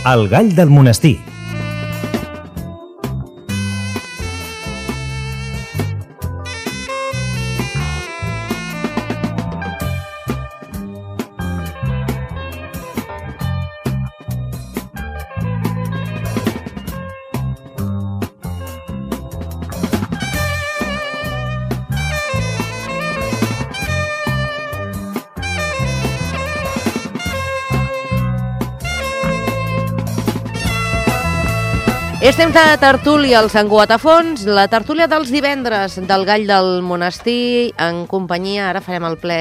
El gall del monestir. Estem de tertúlia als Enguatafons, la tertúlia dels divendres del Gall del Monestir, en companyia, ara farem el ple,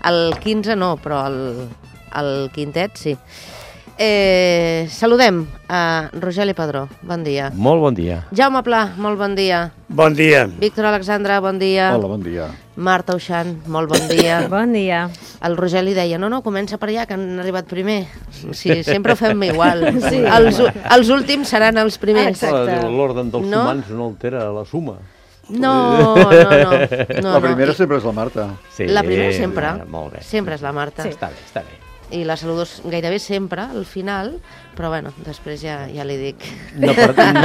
el 15 no, però el quintet sí. Saludem a Rogeli Padró, bon dia. Molt bon dia. Jaume Pla, molt bon dia. Bon dia. Víctor Alexandre, bon dia. Hola, bon dia. Marta Uixant, molt bon dia. Bon dia. El Rogeli deia, no, comença per allà, que han arribat primer. Sí, sempre ho fem igual. Sí. Els últims seran els primers. Exacte. L'ordre dels No? humans no altera la suma. No. La primera sempre és la Marta. Sí, La primera sempre. Molt bé. Sempre és la Marta. Sí. Està bé. I la saludo gairebé sempre, al final, però bueno, després ja li dic. No perdem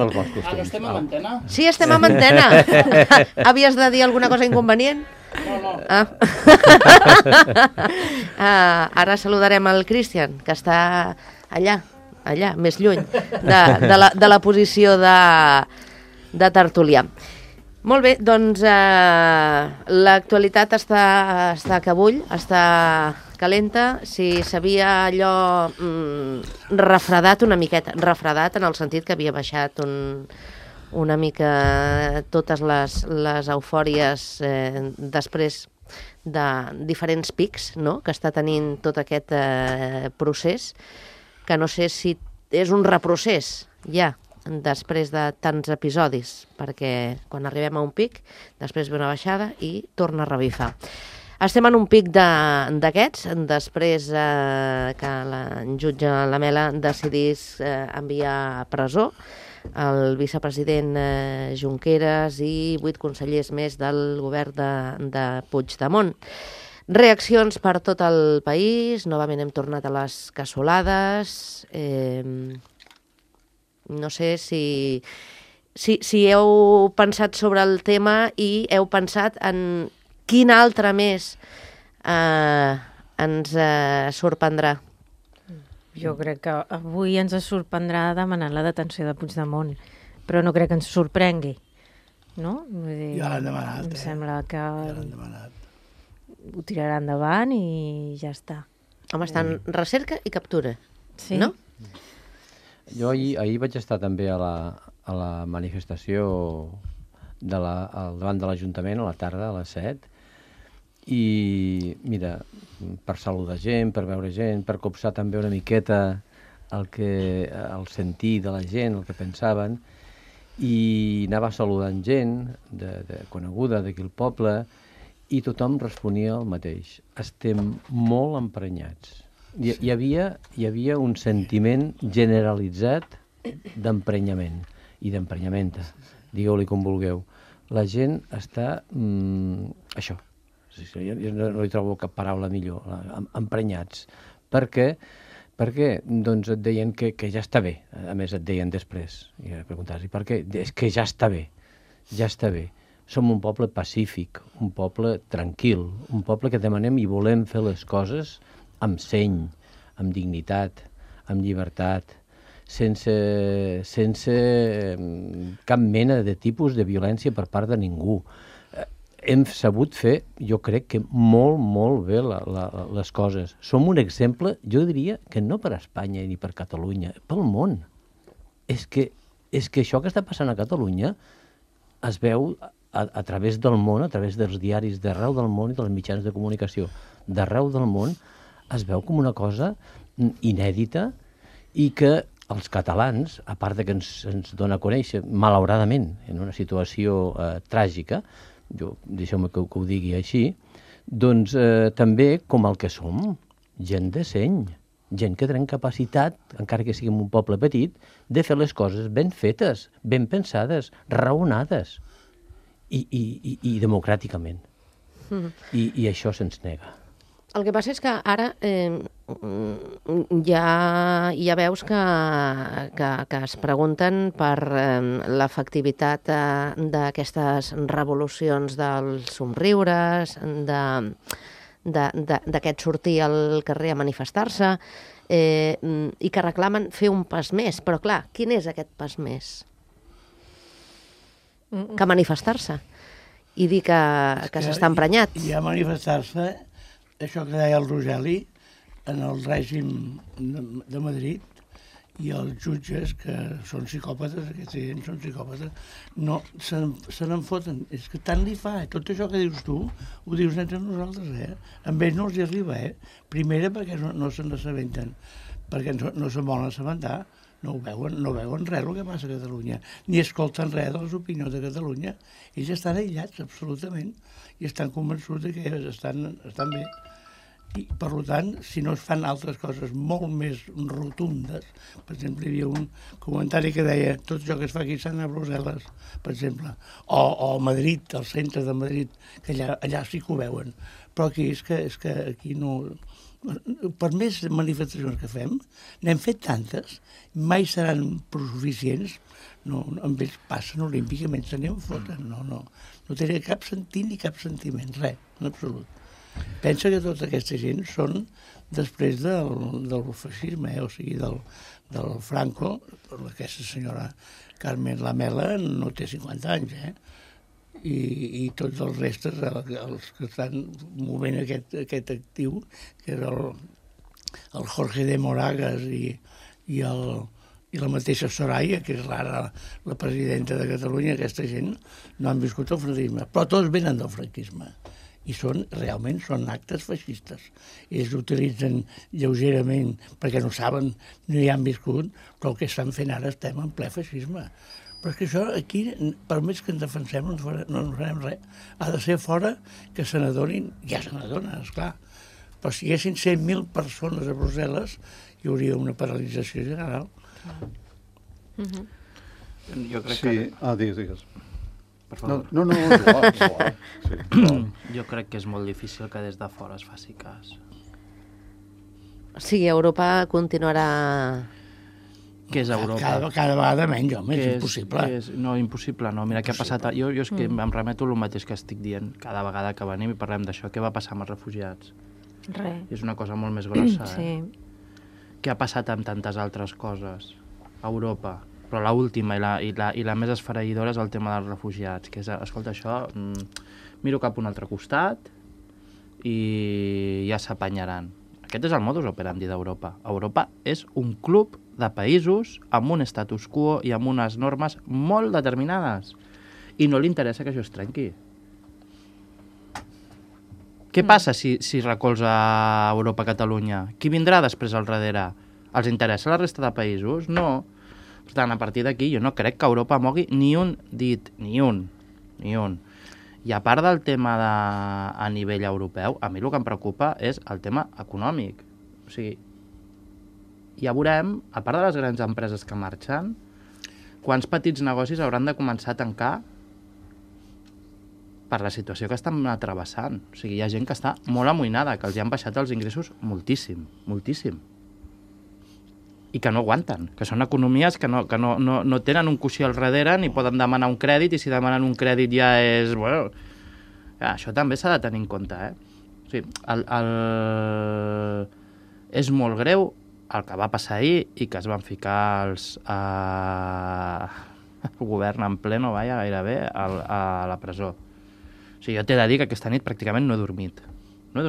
els bons costums. Ara estem a l'antena? Sí, estem amb antena. Havies de dir alguna cosa inconvenient? No. Ara saludarem el Cristian, que està allà, més lluny, de la posició de tertulià. Molt bé, doncs l'actualitat està que bull, està calenta. Si s'havia allò refredat una miqueta, refredat en el sentit que havia baixat una mica totes les eufòries després de diferents pics, no?, que està tenint tot aquest procés, que no sé si és un reprocés ja, després de tants episodis, perquè quan arribem a un pic, després ve una baixada i torna a revifar. Estem en un pic d'aquests, després que el jutge Lamela decidís enviar a presó el vicepresident Junqueras i 8 consellers més del govern de Puigdemont. Reaccions per tot el país, novament hem tornat a les cassolades. No sé si heu pensat sobre el tema i heu pensat en quin altre més ens sorprendrà. Jo crec que avui ens sorprendrà demanant la detenció de Puigdemont, però no crec que ens sorprengui, no? Vull dir, Ja l'han demanat, em sembla que Ja l'han demanat. ho tirarà endavant i ja està. Home, està en recerca i captura, Sí? no? Jo ahir vaig estar també a la manifestació davant de l'Ajuntament a la tarda, a les 7, i mira, per saludar gent, per veure gent, per copsar també una miqueta el sentir de la gent, el que pensaven, i anava saludant gent coneguda d'aquí al poble, i tothom responia el mateix. Estem molt emprenyats. Hi havia un sentiment generalitzat d'emprenyament i d'emprenyamenta, digueu-li com vulgueu. La gent està això, jo no hi trobo cap paraula millor, emprenyats. Per què? Perquè doncs et deien que ja està bé. A més et deien després, i preguntaves, i per què? És que ja està bé, ja està bé. Som un poble pacífic, un poble tranquil, un poble que demanem i volem fer les coses amb seny, amb dignitat, amb llibertat, sense cap mena de tipus de violència per part de ningú. Hem sabut fer, jo crec que molt bé les coses. Som un exemple, jo diria que no per Espanya ni per Catalunya, pel món. És que això que està passant a Catalunya es veu a través del món, a través dels diaris d'arreu del món i dels mitjans de comunicació d'arreu del món, es veu com una cosa inèdita i que els catalans, a part de que ens dona a conèixer, malauradament, en una situació tràgica, deixeu-me que ho digui així, doncs també com el que som, gent de seny, gent que tenim capacitat, encara que siguem un poble petit, de fer les coses ben fetes, ben pensades, raonades i democràticament. I això se'ns nega. El que passa és que ara ja veus que es pregunten per l'efectivitat d'aquestes revolucions dels somriures, d'aquest sortir al carrer a manifestar-se, i que reclamen fer un pas més. Però clar, quin és aquest pas més? Que manifestar-se i dir que s'està emprenyat. I a manifestar-se, això que deia el Rogeli, en el règim de Madrid, i els jutges, que són psicòpates, aquests gent són psicòpates, no, se n'en foten. És que tant li fa, tot això que dius tu, ho dius entre nosaltres, Amb ells no els hi arriba, Primera, perquè no se n'assabenten, perquè no se'n volen assabentar, no veuen res el que passa a Catalunya, ni escolten res de les opinions de Catalunya. Ells estan aïllats, absolutament, i estan convençuts que estan bé. I, per tant, si no es fan altres coses molt més rotundes, per exemple, hi havia un comentari que deia tot això que es fa aquí s'ha d'anar a Brussel·les, per exemple, o a Madrid, al centre de Madrid, que allà sí que ho veuen. Però aquí és que aquí no... Per més manifestacions que fem, n'hem fet tantes, mai seran suficients, amb ells passen olímpicament, se n'hi foten, no tenen cap sentit ni cap sentiment, res, en absolut. Pensa que tota aquesta gent són després del feixisme, o sigui, del Franco. Aquesta senyora Carmen Lamela no té 50 anys, i tots els restes, els que estan movent aquest actiu, que és el Jorge de Moragas i la mateixa Soraya, que és ara la presidenta de Catalunya, aquesta gent no han viscut el franquisme, però tots venen del franquisme. I realment són actes feixistes. Ells utilitzen lleugerament perquè no saben, no hi han viscut, però el que estan fent ara estem en ple feixisme. Però és que això aquí, per més que ens defensem, no ens farem res. Ha de ser fora que se n'adonin, ja se n'adonen, esclar. Però si hi haguessin 100.000 persones a Brussel·les, hi hauria una paralització general. Jo crec que... Digues. Per favor. No, igual. Sí, jo crec que és molt difícil que des de fora es faci cas. Sí, Europa continuarà... Què és Europa? Cada vegada menys, home, és impossible. No, impossible no. Mira què ha passat... Jo és que em remeto el mateix que estic dient cada vegada que venim i parlem d'això. Què va passar amb els refugiats? Res. És una cosa molt més grossa, Sí. Què ha passat amb tantes altres coses a Europa? Però l'última i la més esfereïdora és el tema dels refugiats, que és, escolta, això, miro cap a un altre costat i ja s'apanyaran. Aquest és el modus operandi d'Europa. Europa és un club de països amb un status quo i amb unes normes molt determinades. I no li interessa que això es trenqui. Què passa si recolza Europa a Catalunya? Qui vindrà després al darrere? Els interessa la resta de països? No. Per tant, a partir d'aquí jo no crec que Europa mogui ni un dit, ni un. I a part del tema a nivell europeu, a mi el que em preocupa és el tema econòmic. O sigui, ja veurem, a part de les grans empreses que marxen, quants petits negocis hauran de començar a tancar per la situació que estan travessant. O sigui, hi ha gent que està molt amoïnada, que els han baixat els ingressos moltíssim. I que no aguanten, que són economies que no tenen un coixí al darrere ni poden demanar un crèdit, i si demanen un crèdit ja és... Bueno, això també s'ha de tenir en compte, O sigui, és molt greu el que va passar ahir i que es van ficar el govern en pleno, gairebé, a la presó. O sigui, jo t'he de dir que aquesta nit pràcticament no he dormit. O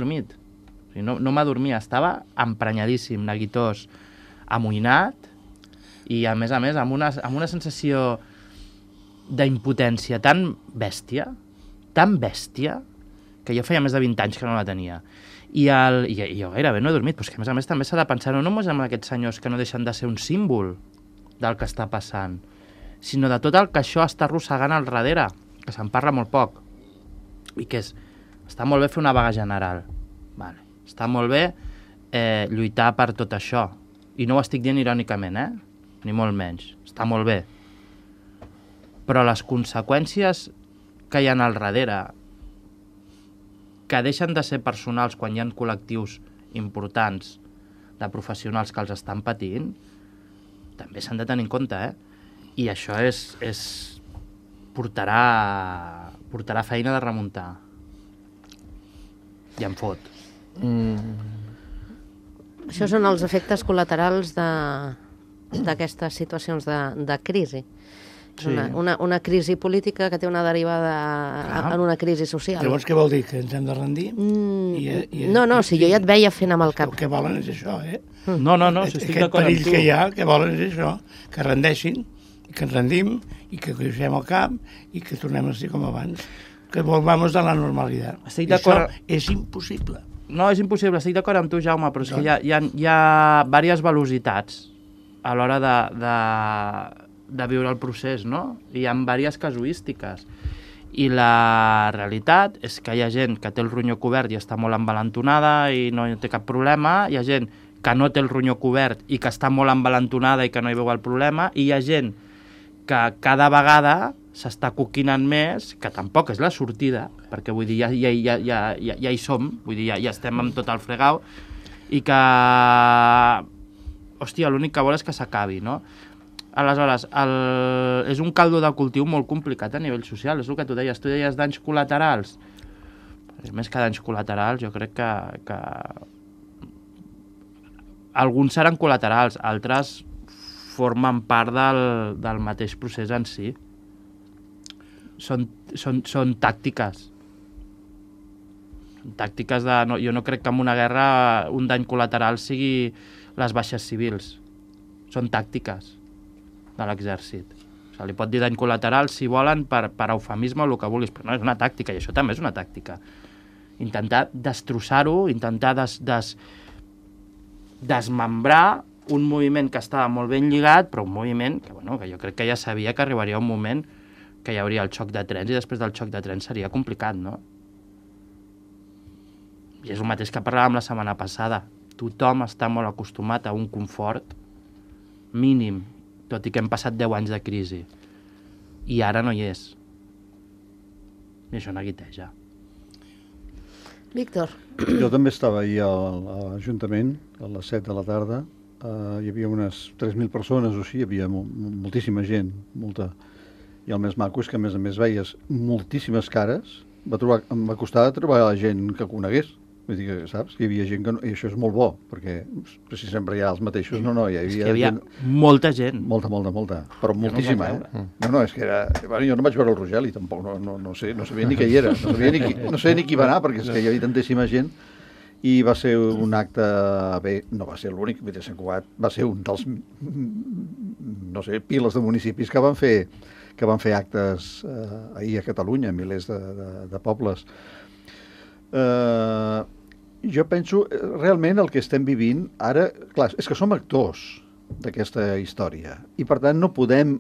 sigui, no m'adormia, estava emprenyadíssim, neguitós, amoïnat i, a més, amb una sensació d'impotència tan bèstia, que jo feia més de 20 anys que no la tenia. I jo gairebé no he dormit, però és que, a més, també s'ha de pensar no només en aquests senyors que no deixen de ser un símbol del que està passant, sinó de tot el que això està arrossegant al darrere, que se'n parla molt poc, i que està molt bé fer una vaga general, està molt bé lluitar per tot això, i no ho estic dient irònicament, ni molt menys, està molt bé. Però les conseqüències que hi ha al darrere, que deixen de ser personals quan hi ha col·lectius importants de professionals que els estan patint, també s'han de tenir en compte, I això portarà feina de remuntar. I em fot. Això són els efectes col·laterals d'aquestes situacions de crisi. És una crisi política que té una derivada en una crisi social. Llavors què vol dir? Que ens hem de rendir? No, si jo ja et veia fent amb el cap. El que volen és això, No, si estic Aquest d'acord amb perill tu. que hi ha, que volen és això, que rendeixin, i que ens rendim, i que creixem al cap, i que tornem a ser com abans. Que volvamos a la normalitat. Estic I això d'acord. és impossible. No, és impossible, estic d'acord amb tu, Jaume, però és que hi ha diverses velocitats a l'hora de viure el procés, no? Hi ha diverses casuístiques. I la realitat és que hi ha gent que té el ronyó cobert i està molt envalentonada i no té cap problema, hi ha gent que no té el ronyó cobert i que està molt envalentonada i que no hi veu el problema, i hi ha gent que cada vegada s'està coquinant més, que tampoc és la sortida, perquè vull dir, ja hi som, vull dir, ja estem amb tot el fregau, i que, hòstia, l'únic que vol és que s'acabi, no? Aleshores, és un caldo de cultiu molt complicat a nivell social, és el que tu deies danys col·laterals. Més que danys col·laterals, jo crec que alguns seran col·laterals, altres formen part del mateix procés en si. Són tàctiques. Tàctiques de... No, jo no crec que en una guerra un dany col·lateral sigui les baixes civils. Són tàctiques de l'exèrcit. O sigui, li pot dir dany col·lateral si volen per eufemisme o el que vulguis, però no, és una tàctica, i això també és una tàctica. Intentar destrossar-ho, intentar desmembrar un moviment que estava molt ben lligat, però un moviment que jo crec que ja sabia que arribaria un moment que hi hauria el xoc de trens, i després del xoc de trens seria complicat, no? I és el mateix que parlàvem la setmana passada. Tothom està molt acostumat a un confort mínim, tot i que hem passat 10 anys de crisi. I ara no hi és. I això neguiteja. Víctor. Jo també estava ahir a l'Ajuntament, a les 7 de la tarda. Hi havia unes 3.000 persones o així, hi havia moltíssima gent, molta. I el més maco és que, a més veies moltíssimes cares. Em va costar trobar la gent que conegués. Vull dir que, saps, que hi havia gent que... I això és molt bo, perquè si sempre hi ha els mateixos... No, hi havia molta gent. Molta, però moltíssima, No, és que era... Bueno, jo no vaig veure el Rogeli, tampoc, no sé, no sabia ni què hi era, no sé ni qui va anar, perquè és que hi havia tantíssima gent, i va ser un acte... Bé, no va ser l'únic, Sant Cugat va ser un dels, no sé, piles de municipis que van fer actes ahir a Catalunya, milers de pobles. Jo penso, realment el que estem vivint ara, clar, és que som actors d'aquesta història i per tant no podem,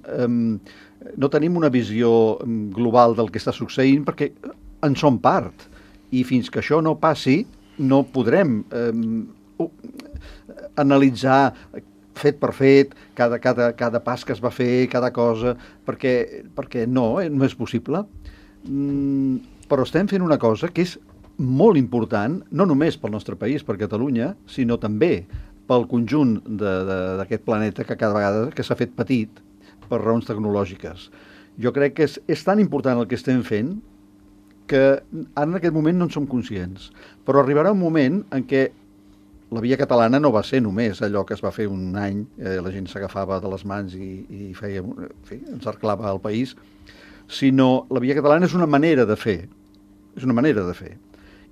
no tenim una visió global del que està succeint perquè en som part i fins que això no passi no podrem analitzar fet per fet cada pas que es va fer, cada cosa, perquè no és possible. Però estem fent una cosa que és molt important, no només pel nostre país, per Catalunya, sinó també pel conjunt d'aquest planeta que cada vegada que s'ha fet petit per raons tecnològiques. Jo crec que és tan important el que estem fent que ara en aquest moment no en som conscients. Però arribarà un moment en què la via catalana no va ser només allò que es va fer un any, la gent s'agafava de les mans i feia, encerclava el país, sinó la via catalana és una manera de fer. És una manera de fer.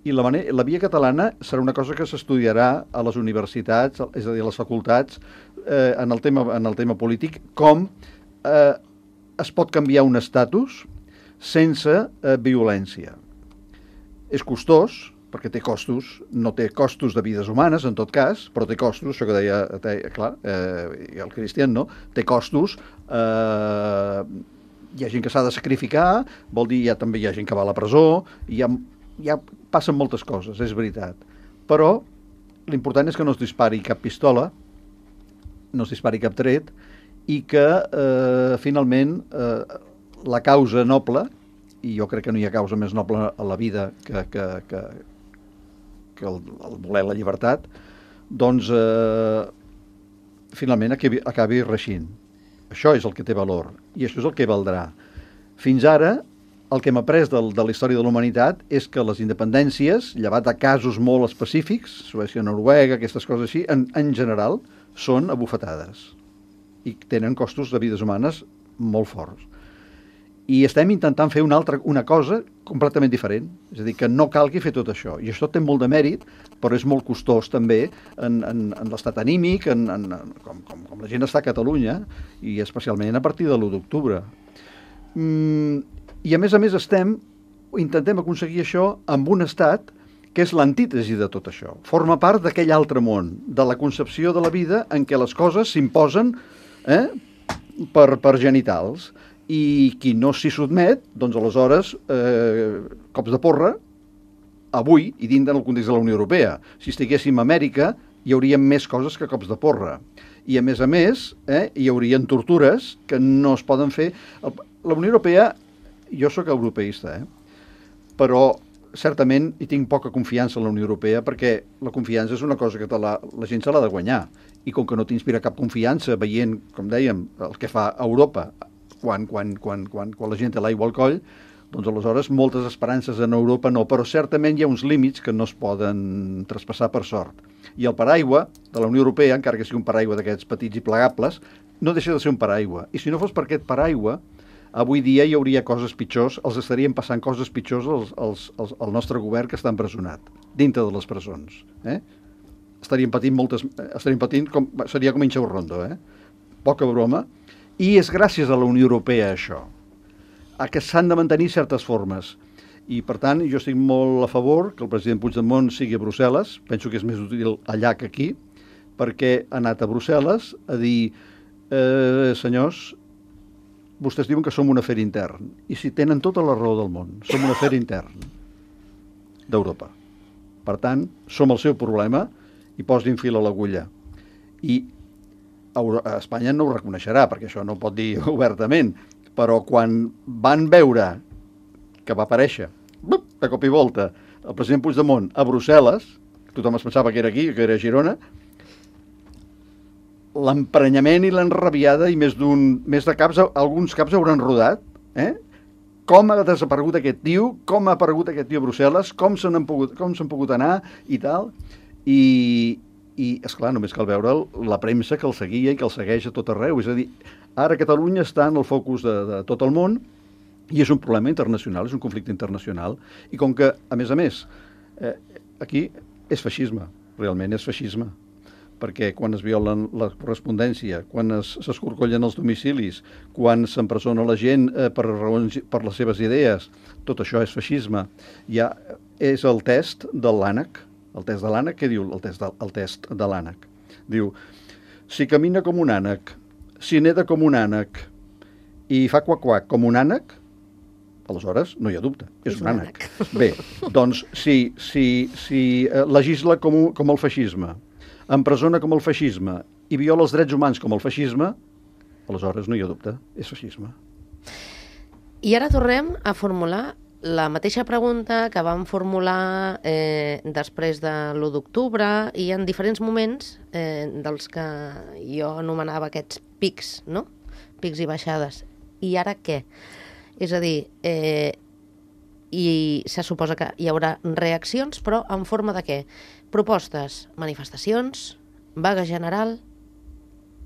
I la via catalana serà una cosa que s'estudiarà a les universitats, és a dir, a les facultats, en el tema polític, com es pot canviar un estatus sense violència. És costós, perquè té costos, no té costos de vides humanes, en tot cas, però té costos, això que deia, clar, el Cristian, no? Té costos, hi ha gent que s'ha de sacrificar, vol dir, també hi ha gent que va a la presó, ja passen moltes coses, és veritat. Però l'important és que no es dispari cap pistola, no es dispari cap tret, i que finalment la causa noble i jo crec que no hi ha causa més noble a la vida que el voler la llibertat, doncs finalment acabi reixint. Això és el que té valor i això és el que valdrà. Fins ara, el que hem après de la història de la humanitat és que les independències, llevat de casos molt específics, Suècia, Noruega, aquestes coses així, en general, són abufetades i tenen costos de vides humanes molt forts. I estem intentant fer una cosa completament diferent. És a dir, que no calgui fer tot això. I això té molt de mèrit, però és molt costós també en l'estat anímic, com la gent està a Catalunya, i especialment a partir de l'1 d'octubre. I a més intentem aconseguir això amb un estat que és l'antítesi de tot això. Forma part d'aquell altre món, de la concepció de la vida en què les coses s'imposen per genitals. I qui no s'hi sotmet, doncs aleshores, cops de porra, avui, i dins del context de la Unió Europea. Si estiguéssim a Amèrica, hi haurien més coses que cops de porra. I a més, hi haurien tortures que no es poden fer. La Unió Europea, jo sóc europeista, però certament hi tinc poca confiança en la Unió Europea perquè la confiança és una cosa que la gent se l'ha de guanyar. I com que no t'inspira cap confiança veient, com dèiem, el que fa Europa quan la gent té l'aigua al coll, doncs aleshores moltes esperances en Europa no, però certament hi ha uns límits que no es poden traspassar per sort. I el paraigua de la Unió Europea, encara que sigui un paraigua d'aquests petits i plegables, no deixa de ser un paraigua. I si no fos per aquest paraigua, avui dia hi hauria coses pitjors, els estarien passant coses pitjors al nostre govern que està empresonat, dintre de les presons. Estarien patint seria com Inxau Rondo, poca broma. I és gràcies a la Unió Europea això, a que s'han de mantenir certes formes. I, per tant, jo estic molt a favor que el president Puigdemont sigui a Brussel·les, penso que és més útil allà que aquí, perquè ha anat a Brussel·les a dir, senyors, vostès diuen que som un afer intern, i si tenen tota la raó del món, som un afer intern d'Europa. Per tant, som el seu problema i posin fil a l'agulla. I Espanya no ho reconeixerà, perquè això no ho pot dir obertament, però quan van veure que va aparèixer, de cop i volta, el president Puigdemont a Brussel·les, tothom es pensava que era aquí, que era a Girona, l'emprenyament i l'enrabiada, i més de caps, alguns caps hauran rodat, com ha desaparegut aquest tio, com ha aparegut aquest tio a Brussel·les, com s'han pogut anar i tal, i esclar, només cal veure la premsa que el seguia i que el segueix a tot arreu. És a dir, ara Catalunya està en el focus de tot el món i és un problema internacional, és un conflicte internacional. I com que, a més, aquí és feixisme, realment és feixisme, perquè quan es violen la correspondència, quan s'escorcollen els domicilis, quan s'empresona la gent per les seves idees, tot això és feixisme. Ja és el test de l'ànec. El test de l'ànec, què diu el test de l'ànec? Diu, si camina com un ànec, si neda com un ànec i fa quac-quac com un ànec, aleshores no hi ha dubte, és un ànec. Bé, doncs si legisla com el feixisme, empresona com el feixisme i viola els drets humans com el feixisme, aleshores no hi ha dubte, és feixisme. I ara tornem a formular la mateixa pregunta que vam formular després de l'1 d'octubre i en diferents moments dels que jo anomenava aquests pics, no? Pics i baixades. I ara què? És a dir, i se suposa que hi haurà reaccions, però en forma de què? Propostes, manifestacions, vaga general,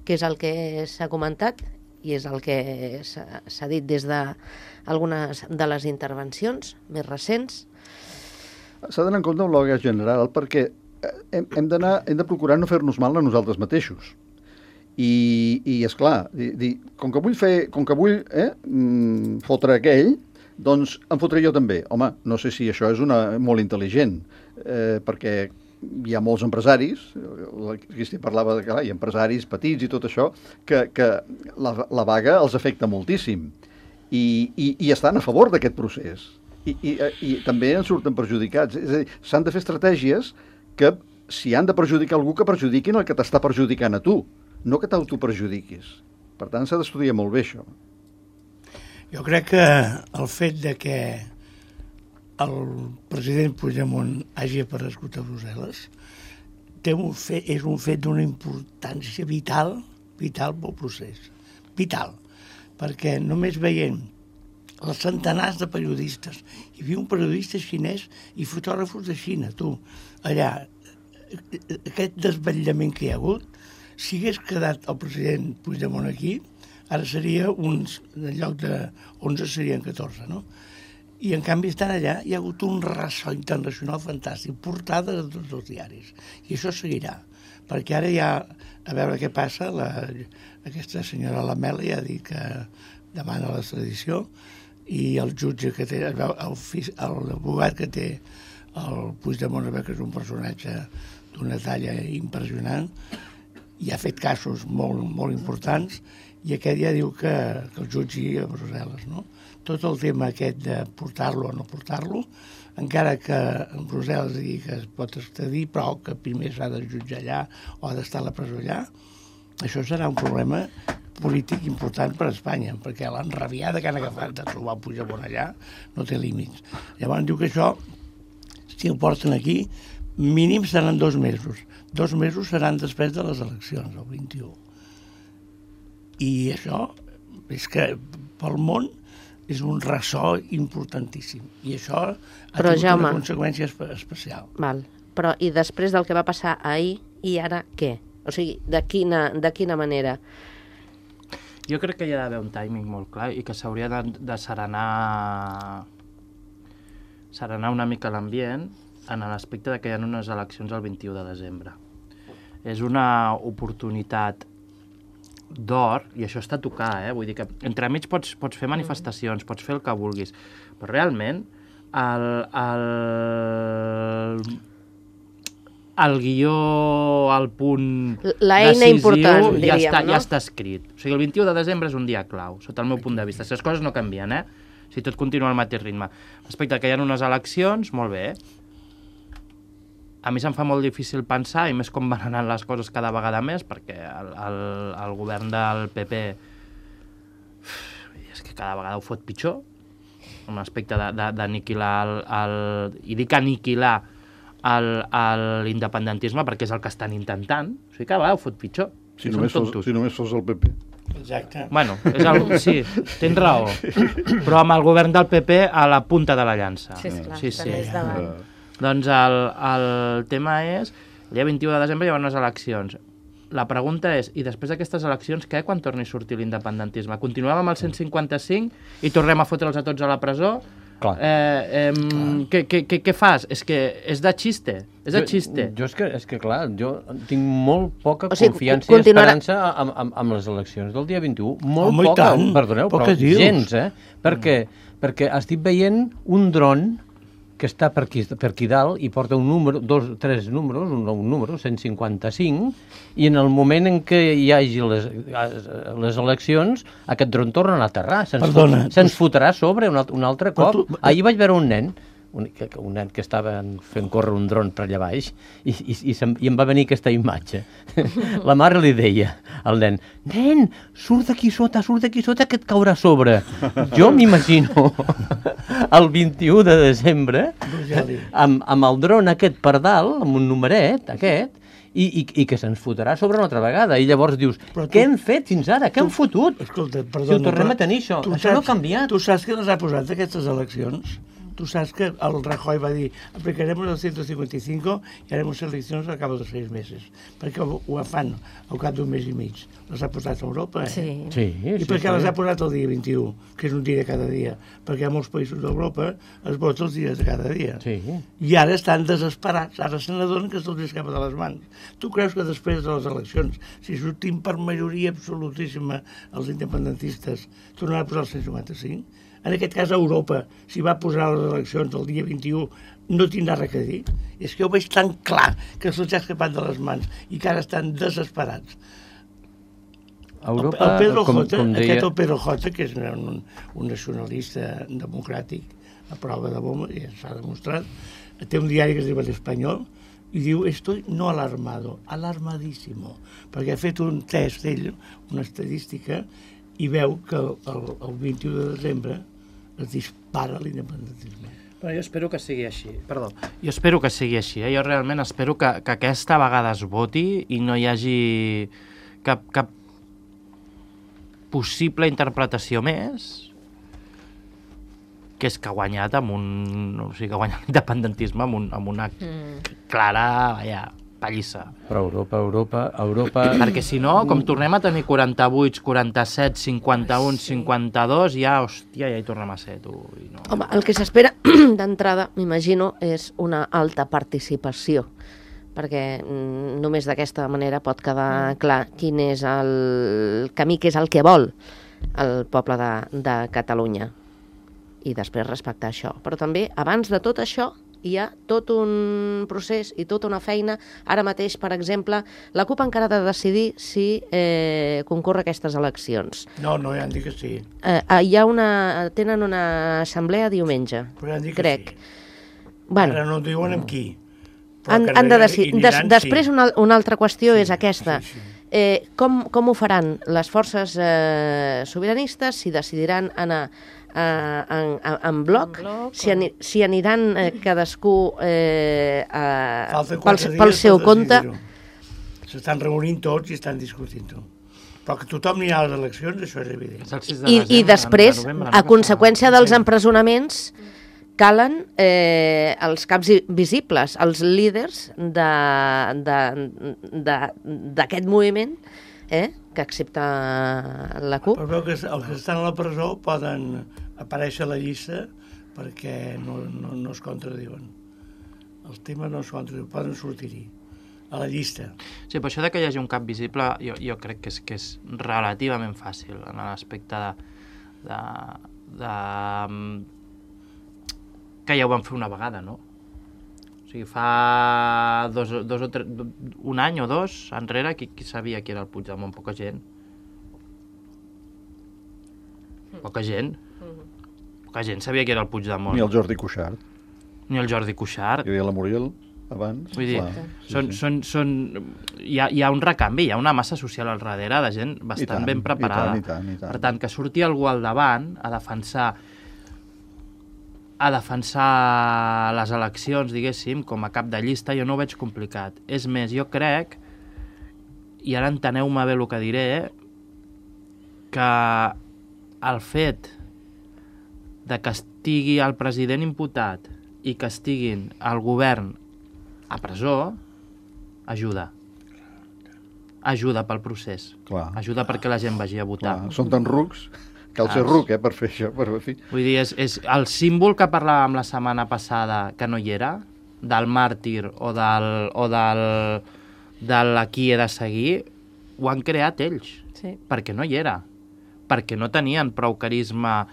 que és el que s'ha comentat i és el que s'ha dit des d'algunes de les intervencions més recents. S'ha d'anar en compte amb la vaga general perquè hem de procurar no fer-nos mal a nosaltres mateixos. I esclar, com que vull fotre aquell, doncs em fotré jo també. Home, no sé si això és molt intel·ligent, perquè hi ha molts empresaris, Cristi parlava de hi ha empresaris petits i tot això, que la vaga els afecta moltíssim i estan a favor d'aquest procés. I també en surten perjudicats. És a dir, s'han de fer estratègies que, si han de perjudicar algú, que perjudiquin el que t'està perjudicant a tu, no que t'autoperjudiquis. Per tant, s'ha d'estudiar molt bé això. Jo crec que el fet de que el president Puigdemont hagi aparegut a Brussel·les és un fet d'una importància vital pel procés. Vital. Perquè només veient els centenars de periodistes, hi havia un periodista xinès i fotògrafos de Xina, allà, aquest desvetllament que hi ha hagut, si hagués quedat el president Puigdemont aquí, ara seria en lloc de 11 serien 14, no? I en canvi estan allà, hi ha hagut un ressò internacional fantàstic, portada de tots els diaris. I això seguirà, perquè ara ja, a veure què passa, aquesta senyora Lamela ja ha dit que demana l'extradició, i el jutge que té, l'abogat que té el Puigdemont, que és un personatge d'una talla impressionant, i ha fet casos molt, molt importants, i aquest ja diu que el jutgi a Brussel·les, no? Tot el tema aquest de portar-lo o no portar-lo, encara que en Brussel·les digui que es pot extradir, però que primer s'ha de jutjar allà o ha d'estar a la presó allà, això serà un problema polític important per a Espanya, perquè l'enrabiada que han agafat de trobar Puigdemont allà no té límits. Llavors diu que això, si el porten aquí, mínim seran 2 mesos. 2 mesos seran després de les eleccions, el 21. I això és que pel món és un ressò importantíssim. I això ha tingut una conseqüència especial. Val. Però i després del que va passar ahir, i ara què? O sigui, de quina manera? Jo crec que hi ha d'haver un timing molt clar i que s'hauria de serenar una mica l'ambient en l'aspecte de que hi ha unes eleccions el 21 de desembre. És una oportunitat d'or, i això està a tocar, vull dir que entremig pots fer manifestacions, pots fer el que vulguis, però realment el guió, el punt l'eina important, diríem, ja està escrit. O sigui, el 21 de desembre és un dia clau, sota el meu punt de vista. Si les coses no canvien, si tot continua al mateix ritme. Respecte que hi ha unes eleccions, molt bé. A mi se'm fa molt difícil pensar, i més com van anant les coses cada vegada més, perquè el govern del PP és que cada vegada ho fot pitjor, en l'aspecte d'aniquilar i dic aniquilar l'independentisme perquè és el que estan intentant. O sigui, cada vegada ho fot pitjor. Si només fos el PP. Exacte. Bueno, sí, tens raó. Però amb el govern del PP a la punta de la llança. Sí, esclar, també és davant. Doncs el tema és, el dia 21 de desembre hi ha unes eleccions. La pregunta és, i després d'aquestes eleccions, què quan torni a sortir l'independentisme? Continuem amb el 155 i tornem a fotre'ls a tots a la presó? Què fas? És que és de xiste. És de xiste. Jo és que clar, jo tinc molt poca confiança i esperança amb les eleccions del dia 21. Molt poca, perdoneu, però gens, perquè estic veient un dron que està per aquí dalt i porta un número, 3 números, un número, 155, i en el moment en què hi hagi les eleccions, aquest dron torna a aterrar. Se'ns fotrà a sobre un altre cop. Ahir vaig veure un nen que estava fent córrer un dron per allà baix i em va venir aquesta imatge. La mare li deia al nen, nen, surt d'aquí sota que et caurà a sobre. Jo m'imagino el 21 de desembre amb el dron aquest per dalt, amb un numeret aquest, i que se'ns fotrà sobre una altra vegada. I llavors dius, què hem fet fins ara? Què hem fotut? Escolta, perdona, si ho tornem a tenir, això no ha canviat. Tu saps què les ha posat aquestes eleccions? Tu saps que el Rajoy va dir aplicaremos el 155 y haremos eleccions al cabo de 6 mesos. Perquè ho fan al cap d'un mes i mig. Les ha posat a Europa, Sí. I per què les ha posat el dia 21, que és un dia de cada dia? Perquè a molts països d'Europa es vota els dies de cada dia. Sí. I ara estan desesperats. Ara se n'adonen que se'ls escapa de les mans. Tu creus que després de les eleccions, si sortim per majoria absolutíssima els independentistes, tornaran a posar el 155? En aquest cas, Europa, si va posar les eleccions el dia 21, no tindrà res a dir. És que ho veig tan clar que se'ls ha escapat de les mans i que ara estan desesperats. Europa, el Pedro J, aquest el Pedro J, que és un nacionalista democràtic a prova de bomba, ja s'ha demostrat, té un diari que es diu l'Espanyol, i diu, estoy no alarmado, alarmadísimo, perquè ha fet un test ell, una estadística, i veu que el 21 de desembre es dispara l'independentisme. Però jo espero que sigui així. Perdó. Jo espero que sigui així. Jo realment espero que aquesta vegada es voti i no hi hagi cap possible interpretació més, que és que ha guanyat amb o sigui, que ha guanyat l'independentisme amb una clara, pallissa. Però Europa... Perquè si no, com tornem a tenir 48, 47, 51, 52, ja hi tornem a ser, tu. I no. Home, el que s'espera d'entrada, m'imagino, és una alta participació, perquè només d'aquesta manera pot quedar clar quin és el camí, que és el que vol el poble de Catalunya, i després respectar això. Però també, abans de tot això, hi ha tot un procés i tota una feina. Ara mateix, per exemple, la CUP encara ha de decidir si concorre a aquestes eleccions. No, ja han dit que sí. Tenen una assemblea diumenge, Però ja han dit que crec. sí. Bueno, Ara no diuen amb qui. han de decidir. Després, una altra qüestió és aquesta. Sí. Com ho faran les forces sobiranistes, si decidiran anar en bloc, si aniran cadascú pel seu compte. S'estan reunint tots i estan discutint-ho. Però que tothom anirà a les eleccions, això és evident. I després, a conseqüència dels empresonaments, calen els caps visibles, els líders d'aquest moviment, que accepta la CUP. Però veu que els que estan a la presó poden aparèixer a la llista perquè no es contradiuen. Els temes no es contradiuen, poden sortir-hi a la llista. Sí, però això de que hi hagi un cap visible jo crec que és relativament fàcil en l'aspecte de que ja ho van fer una vegada, no? O sigui, fa un any o dos enrere, qui sabia qui era el Puigdemont? Poca gent. Poca gent sabia qui era el Puigdemont. Ni el Jordi Cuixart. Ni el Jordi Cuixart. Hi havia la Muriel abans. Vull dir, hi ha un recanvi, hi ha una massa social al darrere de gent bastant ben preparada. I tant. Per tant, que surti algú al davant a defensar les eleccions, diguéssim, com a cap de llista, jo no ho veig complicat. És més, jo crec, i ara enteneu-me bé el que diré, que el fet de que estigui el president imputat i que estiguin el govern a presó, ajuda pel procés. Clar. Ajuda perquè la gent vagi a votar. Clar. Són tan rucs. Cal ser ruc, per fer això. Vull dir, és el símbol que parlàvem la setmana passada, que no hi era, del màrtir o de qui he de seguir, ho han creat ells. Sí. Perquè no hi era. Perquè no tenien prou carisma.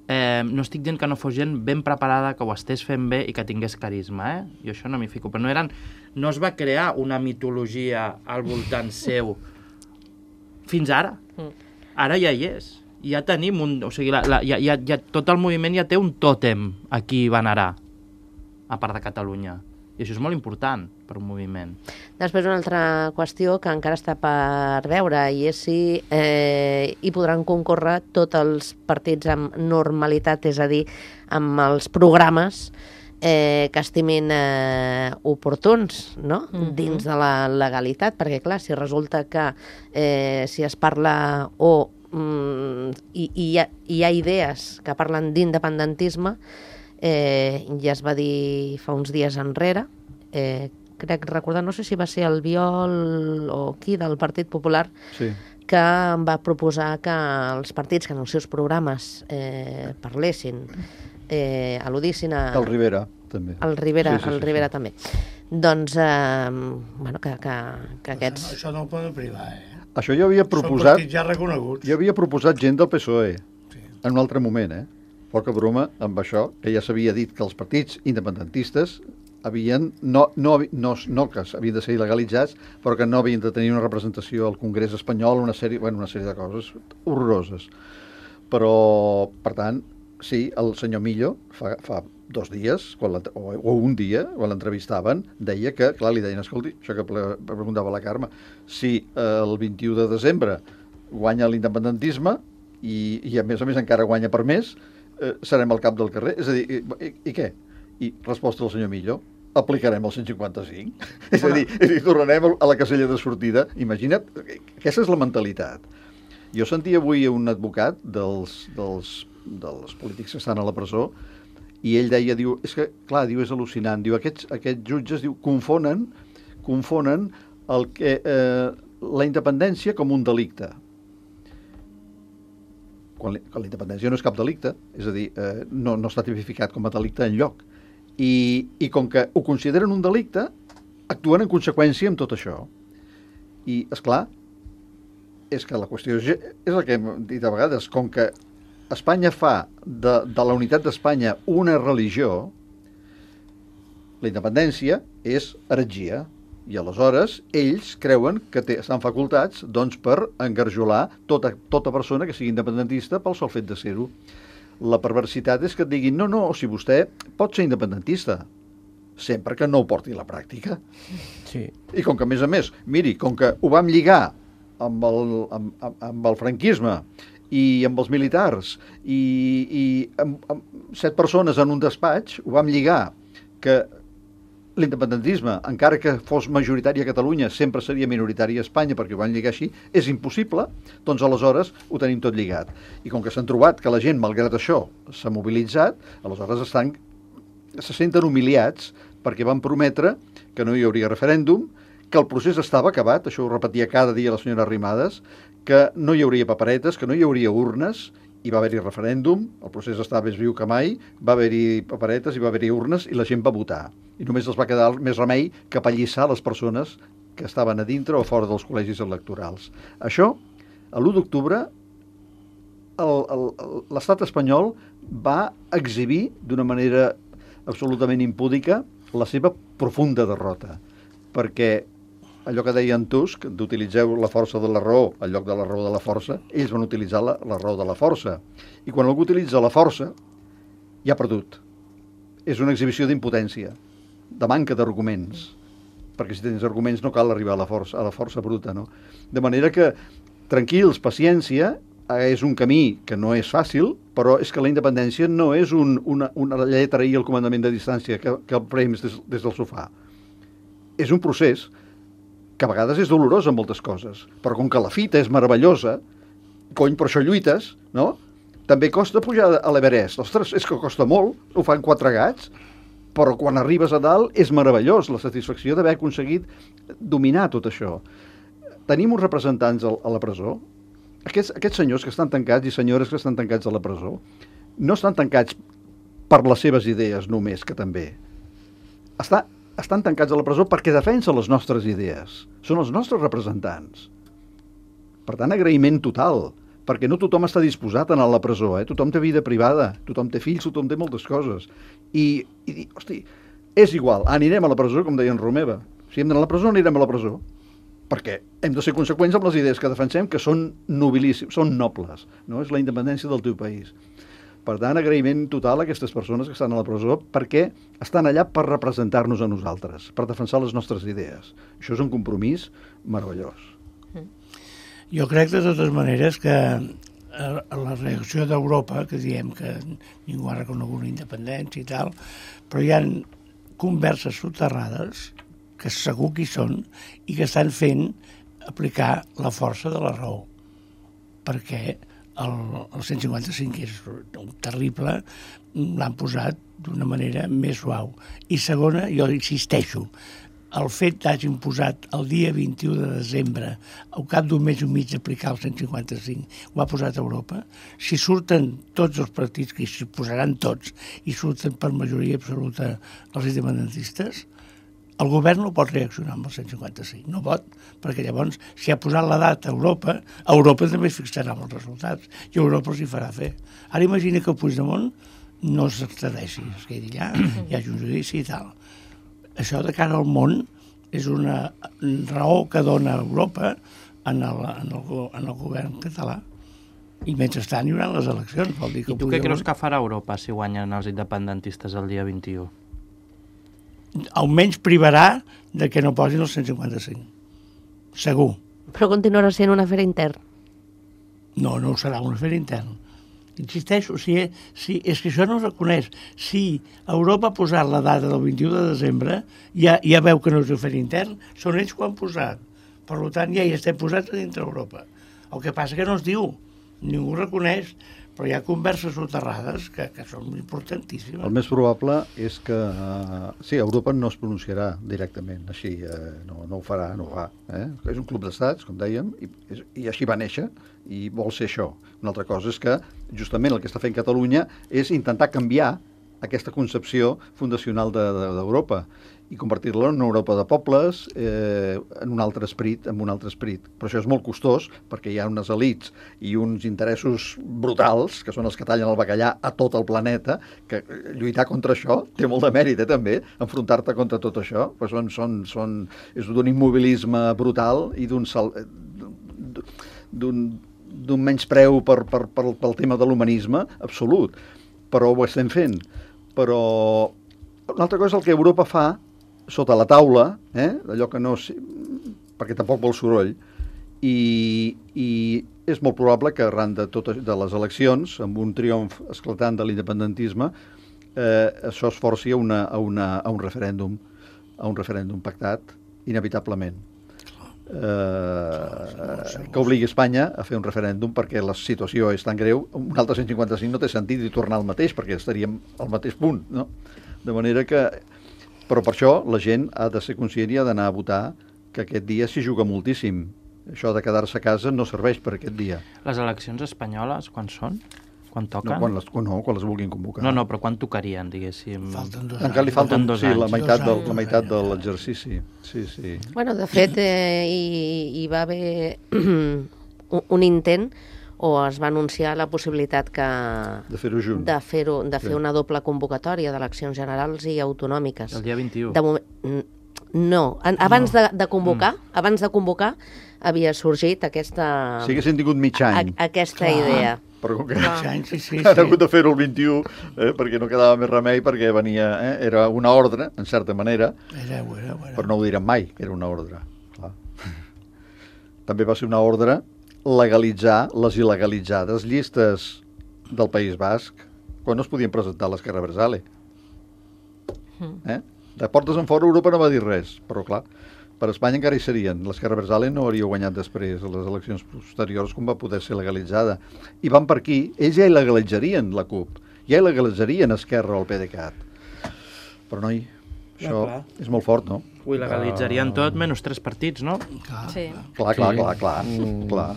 No estic dient que no fos gent ben preparada, que ho estés fent bé i que tingués carisma, Jo això no m'hi fico. Però no es va crear una mitologia al voltant seu fins ara. Ara ja hi és. Ja tenim o sigui, tot el moviment ja té un tòtem a qui venerar, a part de Catalunya. I això és molt important per un moviment. Després una altra qüestió que encara està per veure, i és si hi podran concórrer tots els partits amb normalitat, és a dir, amb els programes que estimin oportuns, no? Dins de la legalitat, perquè clar, si resulta que si es parla i hi ha idees que parlen d'independentisme, ja es va dir fa uns dies enrere, crec recordar, no sé si va ser el Biol o qui del Partit Popular, Sí. que va proposar que els partits que en els seus programes parlessin, al·ludissin a... El Rivera, també. El Rivera, Sí. Rivera també. Doncs, bueno, que aquests... Això no ho poden privar, Això jo havia Són proposat... partits ja reconeguts. Jo havia proposat gent del PSOE, en un altre moment, Poca broma amb això, que ja s'havia dit que els partits independentistes havien, no que havien de ser il·legalitzats, però que no havien de tenir una representació al Congrés espanyol, una sèrie de coses horroroses. Però, per tant, sí, el senyor Millo, fa 2 dies, o un dia, quan l'entrevistaven, deia que, clar, li deien, escolti, això que preguntava la Carme, si el 21 de desembre guanya l'independentisme i a més encara guanya per més, serem al cap del carrer. És a dir, i què? I resposta del senyor Millo, aplicarem el 155. És a dir, tornarem a la casella de sortida. Imagina't, aquesta és la mentalitat. Jo sentia avui un advocat dels polítics que estan a la presó i ell deia, diu, és que, clar, diu, és al·lucinant. Diu, aquests jutges, diu, confonen la independència com un delicte. Quan la independència no és cap delicte, és a dir, no està tipificat com a delicte enlloc. I com que ho consideren un delicte, actuen en conseqüència amb tot això. I, esclar, és que la qüestió és el que hem dit a vegades, com que Espanya fa de la unitat d'Espanya una religió, la independència és heretgia. I aleshores ells creuen que estan facultats doncs, per engarjolar tota persona que sigui independentista pel sol fet de ser-ho. La perversitat és que et diguin no, si vostè pot ser independentista, sempre que no ho porti a la pràctica. Sí. I com que, a més, miri, com que ho vam lligar amb el franquisme i amb els militars i amb 7 persones en un despatx, ho vam lligar que l'independentisme, encara que fos majoritari a Catalunya, sempre seria minoritari a Espanya, perquè ho van lligar així, és impossible, doncs aleshores ho tenim tot lligat. I com que s'han trobat que la gent, malgrat això, s'ha mobilitzat, aleshores se senten humiliats perquè van prometre que no hi hauria referèndum, que el procés estava acabat, això ho repetia cada dia la senyora Arrimadas, que no hi hauria paperetes, que no hi hauria urnes, i va haver-hi referèndum, el procés estava més viu que mai, va haver-hi paperetes i va haver-hi urnes i la gent va votar. I només els va quedar més remei que apallissar les persones que estaven a dintre o fora dels col·legis electorals. Això, a l'1 d'octubre, l'estat espanyol va exhibir d'una manera absolutament impúdica la seva profunda derrota, perquè allò que deia en Tusk, d'utilitzeu la força de la raó al lloc de la raó de la força, ells van utilitzar la raó de la força. I quan algú utilitza la força, ja ha perdut. És una exhibició d'impotència, de manca d'arguments, perquè si tens arguments no cal arribar a la força bruta, no? De manera que, tranquils, paciència, és un camí que no és fàcil, però és que la independència no és una lletra i el comandament de distància que el prems des del sofà. És un procés que a vegades és dolorós en moltes coses, però com que la fita és meravellosa, cony, per això lluites, no? També costa pujar a l'Everest. Ostres, és que costa molt, ho fan 4 gats, però quan arribes a dalt és meravellós la satisfacció d'haver aconseguit dominar tot això. Tenim uns representants a la presó. Aquests senyors que estan tancats i senyores que estan tancats a la presó no estan tancats per les seves idees només, que també. Estan tancats a la presó perquè defensen les nostres idees. Són els nostres representants. Per tant, agraïment total, perquè no tothom està disposat a anar a la presó, Tothom té vida privada, tothom té fills, tothom té moltes coses. I hosti, és igual, anirem a la presó, com deia en Romeva. Si hem d'anar a la presó, anirem a la presó. Perquè hem de ser conseqüents amb les idees que defensem, que són nobilíssimes, són nobles, no? És la independència del teu país. Per tant, agraïment total a aquestes persones que estan a la presó perquè estan allà per representar-nos a nosaltres, per defensar les nostres idees. Això és un compromís meravellós. Jo crec, de totes maneres, que la reacció d'Europa, que diem que ningú ha reconegut la independència i tal, però hi ha converses soterrades, que segur que hi són, i que estan fent aplicar la força de la raó. Perquè el 155 és terrible, l'han posat d'una manera més suau. I segona, jo insisteixo, el fet d'hagin posat el dia 21 de desembre, al cap d'un mes i mig d'aplicar el 155, ho ha posat Europa. Si surten tots els partits, que s'hi posaran tots, i surten per majoria absoluta els independentistes, el govern no pot reaccionar amb el 155, no pot, perquè llavors, si ha posat la data a Europa també es fixarà amb els resultats, i Europa els hi farà fer. Ara imagina que el Puigdemont no s'extradeixi, es quedi allà, hi hagi un judici i tal. Això de cara al món és una raó que dona Europa en el govern català. I mentrestant hi haurà les eleccions. Vol dir que I tu què creus que farà Europa si guanyen els independentistes el dia 21? Almenys privarà de que no posin el 155. Segur. Però continuarà sent un afer intern. No ho serà un afer intern. Insisteixo, és que això no es reconeix. Si Europa ha posat la data del 21 de desembre, ja veu que no és un afer intern, són ells que ho han posat. Per tant, ja hi estem posats a dintre Europa. El que passa que no es diu, ningú reconeix, però hi ha converses soterrades que són importantíssimes. El més probable és que sí, Europa no es pronunciarà directament, així, no ho farà, no ho fa. És un club d'estats, com dèiem, i així va néixer, i vol ser això. Una altra cosa és que justament el que està fent Catalunya és intentar canviar aquesta concepció fundacional d'Europa i convertir-la en una Europa de pobles, en un altre esperit, Però això és molt costós, perquè hi ha unes elits i uns interessos brutals, que són els que tallen el bacallà a tot el planeta, que lluitar contra això té molt de mèrit, també, enfrontar-te contra tot això. Però és d'un immobilisme brutal i d'un menyspreu pel tema de l'humanisme absolut. Però ho estem fent. Però una altra cosa és el que Europa fa sota la taula, d'allò que no... perquè tampoc vol soroll, i és molt probable que arran de les eleccions, amb un triomf esclatant de l'independentisme, això es forci a un referèndum pactat, inevitablement. Que obligui Espanya a fer un referèndum perquè la situació és tan greu. Un altre 155 no té sentit i tornar al mateix, perquè estaríem al mateix punt, no? De manera que... Però per això la gent ha de ser conscient i ha d'anar a votar, que aquest dia s'hi juga moltíssim. Això de quedar-se a casa no serveix per aquest dia. Les eleccions espanyoles, quan són? Quan toquen? No, quan les vulguin convocar. No, però quan tocarien, diguéssim? Falten 2 anys. Encara li falten 2 anys. la meitat de l'exercici. Sí. Bueno, de fet, hi va haver un intent, o es va anunciar la possibilitat de fer-ho junt. de fer una doble convocatòria d'eleccions generals i autonòmiques. El dia 21. De moment, no. Abans de convocar, havia sorgit aquesta... Si haguessin tingut mig any. Aquesta idea. Però com que Sí. han hagut de fer-ho el 21, perquè no quedava més remei, perquè venia... Era una ordre, en certa manera, Era. però no ho direm mai, que era una ordre. Clar. També va ser una ordre legalitzar les il·legalitzades llistes del País Basc, quan no es podien presentar a l'Esquerra Abertzale. De portes en fora Europa no va dir res, però clar, per Espanya encara hi serien. L'Esquerra Abertzale no hauria guanyat després a les eleccions posteriors com va poder ser legalitzada. I van per aquí, ells ja il·legalitzarien la CUP, ja il·legalitzarien Esquerra o el PDeCAT. Però noi, això és molt fort, no? Ho il·legalitzarien tot, menys 3 partits, no? Sí. Clar.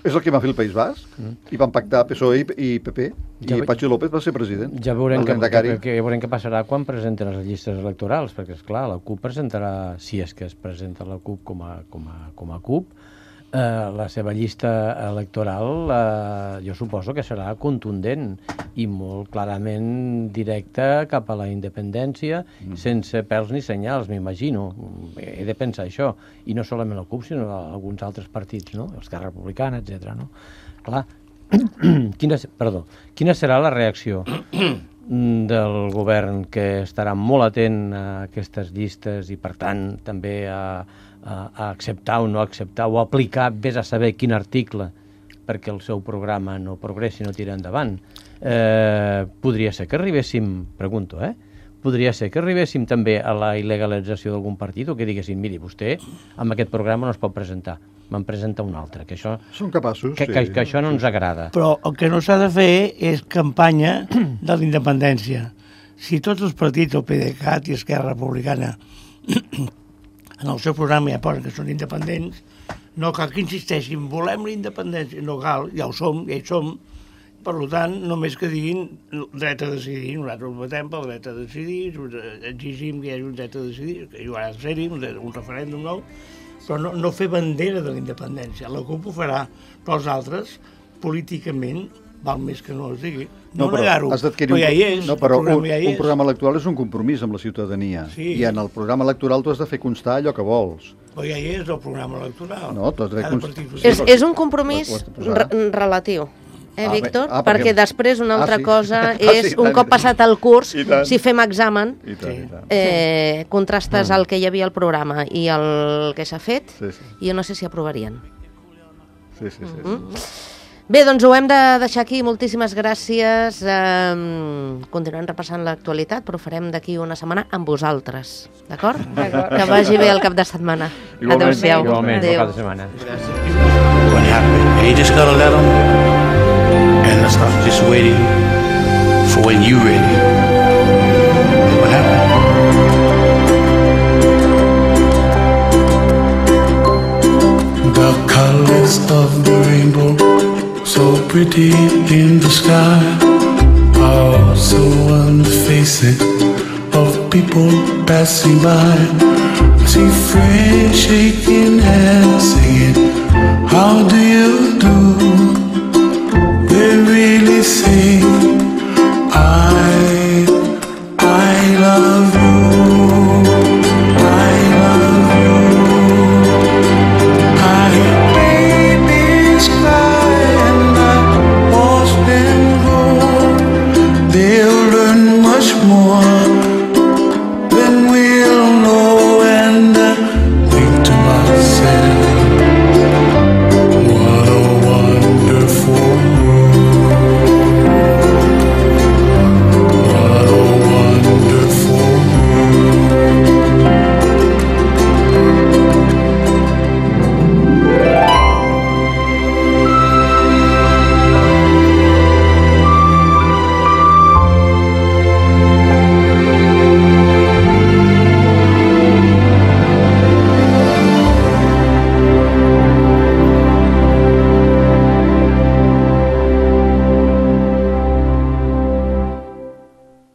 És el que va fer el País Basc. I van pactar PSOE i PP. I Patxi López va ser president. Ja veurem què passarà quan presenten les llistes electorals, perquè, esclar, la CUP presentarà, si és que es presenta la CUP com a CUP, la seva llista electoral jo suposo que serà contundent i molt clarament directa cap a la independència, sense pèls ni senyals, m'imagino. He de pensar això. I no solament la CUP, sinó alguns altres partits, no? Esquerra Republicana, etc. No? Clar, quina serà la reacció del govern, que estarà molt atent a aquestes llistes i, per tant, també a acceptar o no acceptar o aplicar, vés a saber quin article, perquè el seu programa no progressi, no tira endavant. Podria ser que arribéssim, pregunto, podria ser que arribéssim també a la il·legalització d'algun partit, o que diguessin, miri, vostè amb aquest programa no es pot presentar, me'n presenta un altre, que això... Són capaços, que això no ens agrada. Però el que no s'ha de fer és campanya de la independència. Si tots els partits, el PDeCAT i Esquerra Republicana, en el seu programa ja posen que són independents, no cal que insisteixin, volem la independència, no cal, ja hi som, per tant, només que diguin dret a decidir, nosaltres votem pel dret a decidir, exigim que hi hagi un dret a decidir, que hi haurà de ser-hi, un referèndum nou, però no fer bandera de la independència. La CUP ho farà, però els altres, políticament, val més que no es digui. No negar-ho, però ja hi és. No, però un programa electoral és un compromís amb la ciutadania. Sí. I en el programa electoral tu has de fer constar allò que vols. Però ja hi és el programa electoral. No, tu has de fer constar. És un compromís relatiu. Víctor? Perquè després una altra cosa és, un cop passat el curs, si fem examen, contrastes el que hi havia al programa i el que s'ha fet, jo no sé si aprovarien. Sí. Bé, doncs ho hem de deixar aquí. Moltíssimes gràcies. Continuem repassant l'actualitat, però ho farem d'aquí una setmana amb vosaltres. D'acord? Que vagi bé el cap de setmana. Adéu-siau. Igualment, el cap de setmana. What happened? And you just gotta let them, and let's start just waiting for when you ready. What happened? The colors of the rainbow, so pretty in the sky, are also on the faces of people passing by.